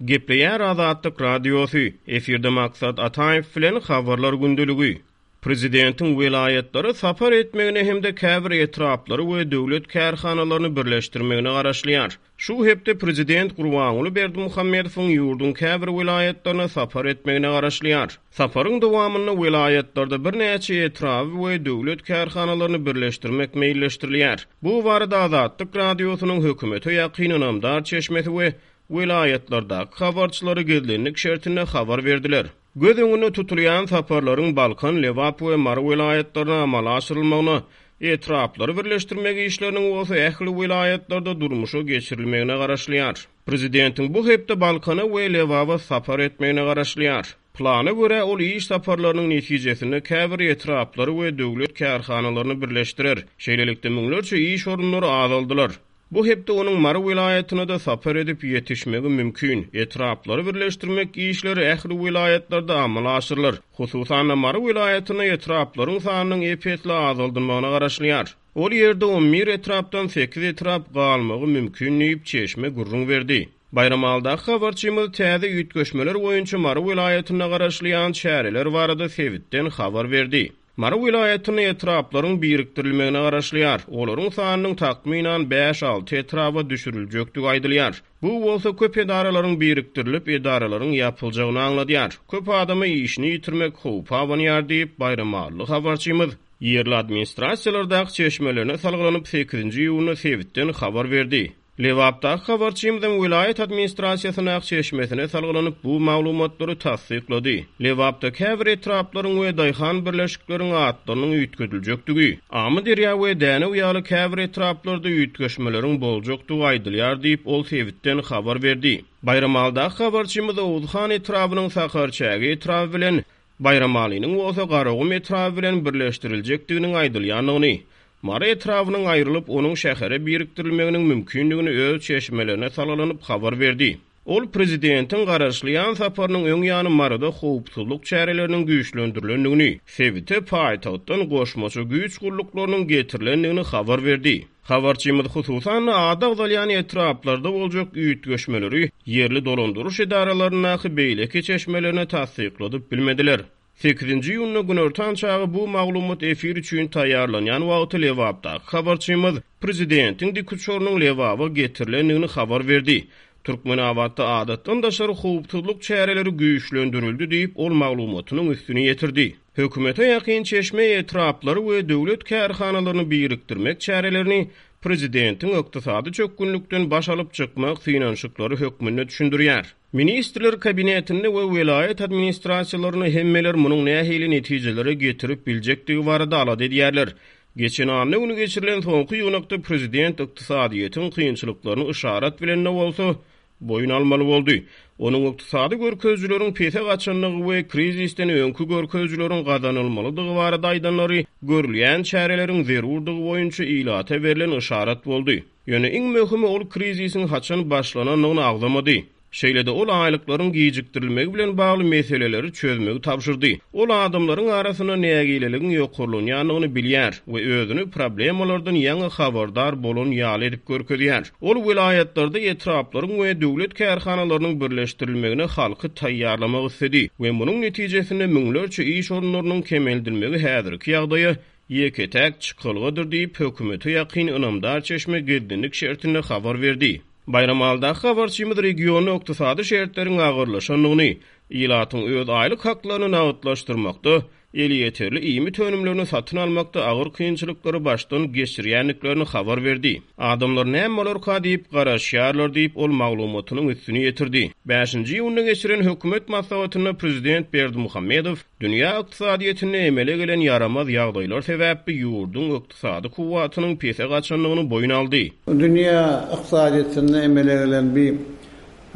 Gepleýär Azatlyk Radiosy, efirde Maksat Ataýew bilen Habarlar gündeligi. Prezidentiň welaýatlara sapar etmegine hem-de käbir etraplary we döwlet kärhanalaryny birleşdirmegine garaşylýar. Şu hepde prezident Gurbanguly Berdimuhamedowyň ýurduň käbir welaýatlaryna sapar etmegine garaşylýar. Saparyň dowamynda welaýatlarda birnäçe etraby we döwlet kärhanalaryny birleşdirmek meýilleşdirilýär. Bu barada Azatlyk Radiosynyň hökümete ýakyn ynamdar çeşmesi we welaýatlardaky habarçylary gizlinlik şertinde habar berdiler. Göz öňünde tutulýan saparlaryň Balkan, Lebap we Mary welaýatlaryna amala aşyrylmagyna, etraplary birleşdirmek işleriniň bolsa ähli welaýatlarda durmuşa geçirilmegine garaşylýar. Prezidentiň bu hepde Balkana we Lebaba sapar etmegine garaşylýar. Plana görä, ol iş saparlarynyň netijesinde käbir etraplary we döwlet kärhanalaryny birleşdirer. Şeýlelikde, müňlerçe iş orunlary azaldylar. Bu hepde onuň Mary welaýatyna-da sapar edip ýetişmegi mümkin. Etraplary birleşdirmek işleri ähli welaýatlarda amala aşyrylar. Hususan-da, Mary welaýatynda etraplaryň sanynyň ep-esli azaldylmagyna garaşylýar. Ol ýerde on bir etrapdan sekiz etrap galmagy mümkin diýip, çeşme gürrüň berdi. Baýramalydaky habarçymyz täze üýtgeşmeler boýunça Mary welaýatynda garaşylýan çäreler barada sebitden habar berdi. Mary welaýatynda etraplaryň birikdirilmegine garaşylýar. Olaryň sanynyň takmynan bäş-alty etraba düşüriljekdigi aýdylýar. Bu bolsa köp edaralaryň birikdirilip, edaralaryň ýapyljagyny aňladýar. Köp adama işini ýitirmek howpy abanýar diýip, baýramalyly habarçymyz ýerli administrasiýalardaky çeşmelerine salgylanyp, sekizinji iýunda sebitden habar berdi. Lebapdaky habarçymyzyň welaýat administrasiýasyndaky çeşmesine salgylanyp, bu maglumatlary tassyklady. Lebapda käbir etraplaryň we daýhan birleşikleriň atlarynyň üýtgediljekdigi, Amyderýa we Dänew ýaly käbir etraplarda üýtgeşmeleriň boljakdygy aýdylýar diýip, ol sebitden habar berdi. Baýramalydaky habarçymyz Oguzhan etrabynyň Sakarçäge etraby bilen Baýramalynyň bolsa Garagum etraby bilen birleşdiriljekdiginiň aýdylýandygyny, Mary etrabynyň aýrylyp, onuň şähere birikdirilmeginiň mümkindigini öz çeşmelerine salgylanyp habar berdi. Ol prezidentiň garaşylýan saparynyň öň ýany Maryda howpsuzlyk çäreleriniň güýçlendirilendigini, sebite paýtagtdan goşmaça güýç gulluklarynyň getirilendigini habar berdi. Habarçymyz hususan-da ady agzalýan etraplarda boljak üýtgeşmeleri ýerli dolandyryş edaralaryndaky beýleki çeşmelerine tassykladyp bilmediler. Sekizinji iýunda günortan çagy bu maglumat efir üçin taýýarlanýan wagty Lebapdaky habarçymyz prezidentiň dikuçarynyň Lebaba getirilendigini habar berdi. Türkmenabatda adatdan daşary howpsuzlyk çäreleri güýçlendirildi diýip, ol maglumatynyň üstüni ýetirdi. Hökümete ýakyn çeşme etraplary we döwlet kärhanalaryny birikdirmek çärelerini prezidentiň ykdysady çökgünlikden baş alyp çykmak synanyşyklary hökmünde düşündirýär. Ministrler Kabinetinde we welaýat administrasiýalarynda hemmeler munuň nähili netijelere getirip biljekdigi barada alada edýärler. Geçen anna güni geçirilen soňky ýygnakda prezident ykdysadyýetiň kynçylyklaryny yşarat bilen-de bolsa, boýun almaly boldy. Onuň ykdysady görkezijileriň pese gaçandygy we krizisden öňki görkezijileriň gazanylmalydygy barada aýdanlary görülýän çäreleriň zerurdygy boýunça ilata berlen yşarat boldy. Ýöne iň möhümi ol krizisiň haçan başlanandygyny agzamady. Şeýle-de ol aýlyklaryň gijikdirilmegi bilen bagly meseleleri çözmegi tabşyrdy. Ol adamlaryň arasynda nägileligiň ýokarlanýandygyny bilýär we özüni problemalardan ýaňy habardar bolan ýaly edip görkezýär. Ol welaýatlarda etraplaryň we döwlet kärhanalarynyň birleşdirilmegine halky taýýarlamak isledi we munuň netijesinde müňlerçe iş orunlarynyň kemeldilmegi häzirki ýagdaýa ýeke-täk çykalgadyr diýip, hökümete ýakyn ynamdar çeşme gizlinlik şertinde habar berdi. Baýramalydaky habarçymyz regionda ykdysady şertleriň agyrlaşandygyny, ilatyň öz aýlyk haklaryny nagtlaşdyrmakda, elýeterli iýmit önümlerini satyn almakda agyr kynçylyklary başdan geçirýändiklerini habar berdi. Adamlar näme bolarka diýip garaşýarlar diýip, ol maglumatynyň üstüni ýetirdi. Bäşinji iýunda geçiren hökümet maslahatynda prezident Berdimuhamedow dünýä ykdysadyýetinde emele gelen ýaramaz ýagdaýlar sebäpli ýurduň ykdysady kuwwatynyň pese gaçandygyny boýun aldy. Dünýä ykdysadyýetinde emele gelen bi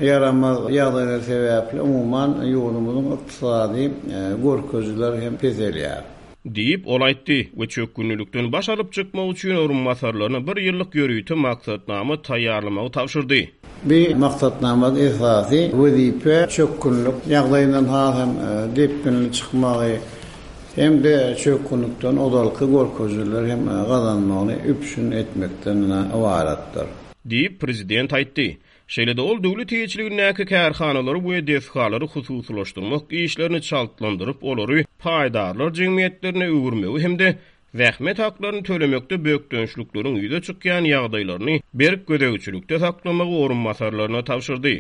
ýaramaz ýagdaýlar sebäpli umuman ýurdumyzyň ykdysady görkezijileri hem peselýär. Diýip, ol aýtdy we çökgünlilikden baş alyp çykmak üçin orunbasarlaryna bir ýyllyk ýörite maksatnama taýýarlamagy tabşyrdy. Bu maksatnamada esasy wezipe çökgünlik ýagdaýyndan has hem depginli çykmagy hem-de çökgünlikden ozalky görkezijileri hem gazanmagyny üpjün etmekden ybaratdyr. Diýip, prezident aýtdy. Şeýle-de ol döwlet eýeçiligindäki kärhanalary we desgalary hususylaşdyrmak işlerini çaltlandyryp, olary paýdarlar jemgyýetlerine öwürmegi hem-de zähmet haklaryny tölemekde bökdençlikleriň ýüze çykýan ýagdaýlaryny berk gözegçilikde saklamagy orunbasarlaryna tabşyrdy.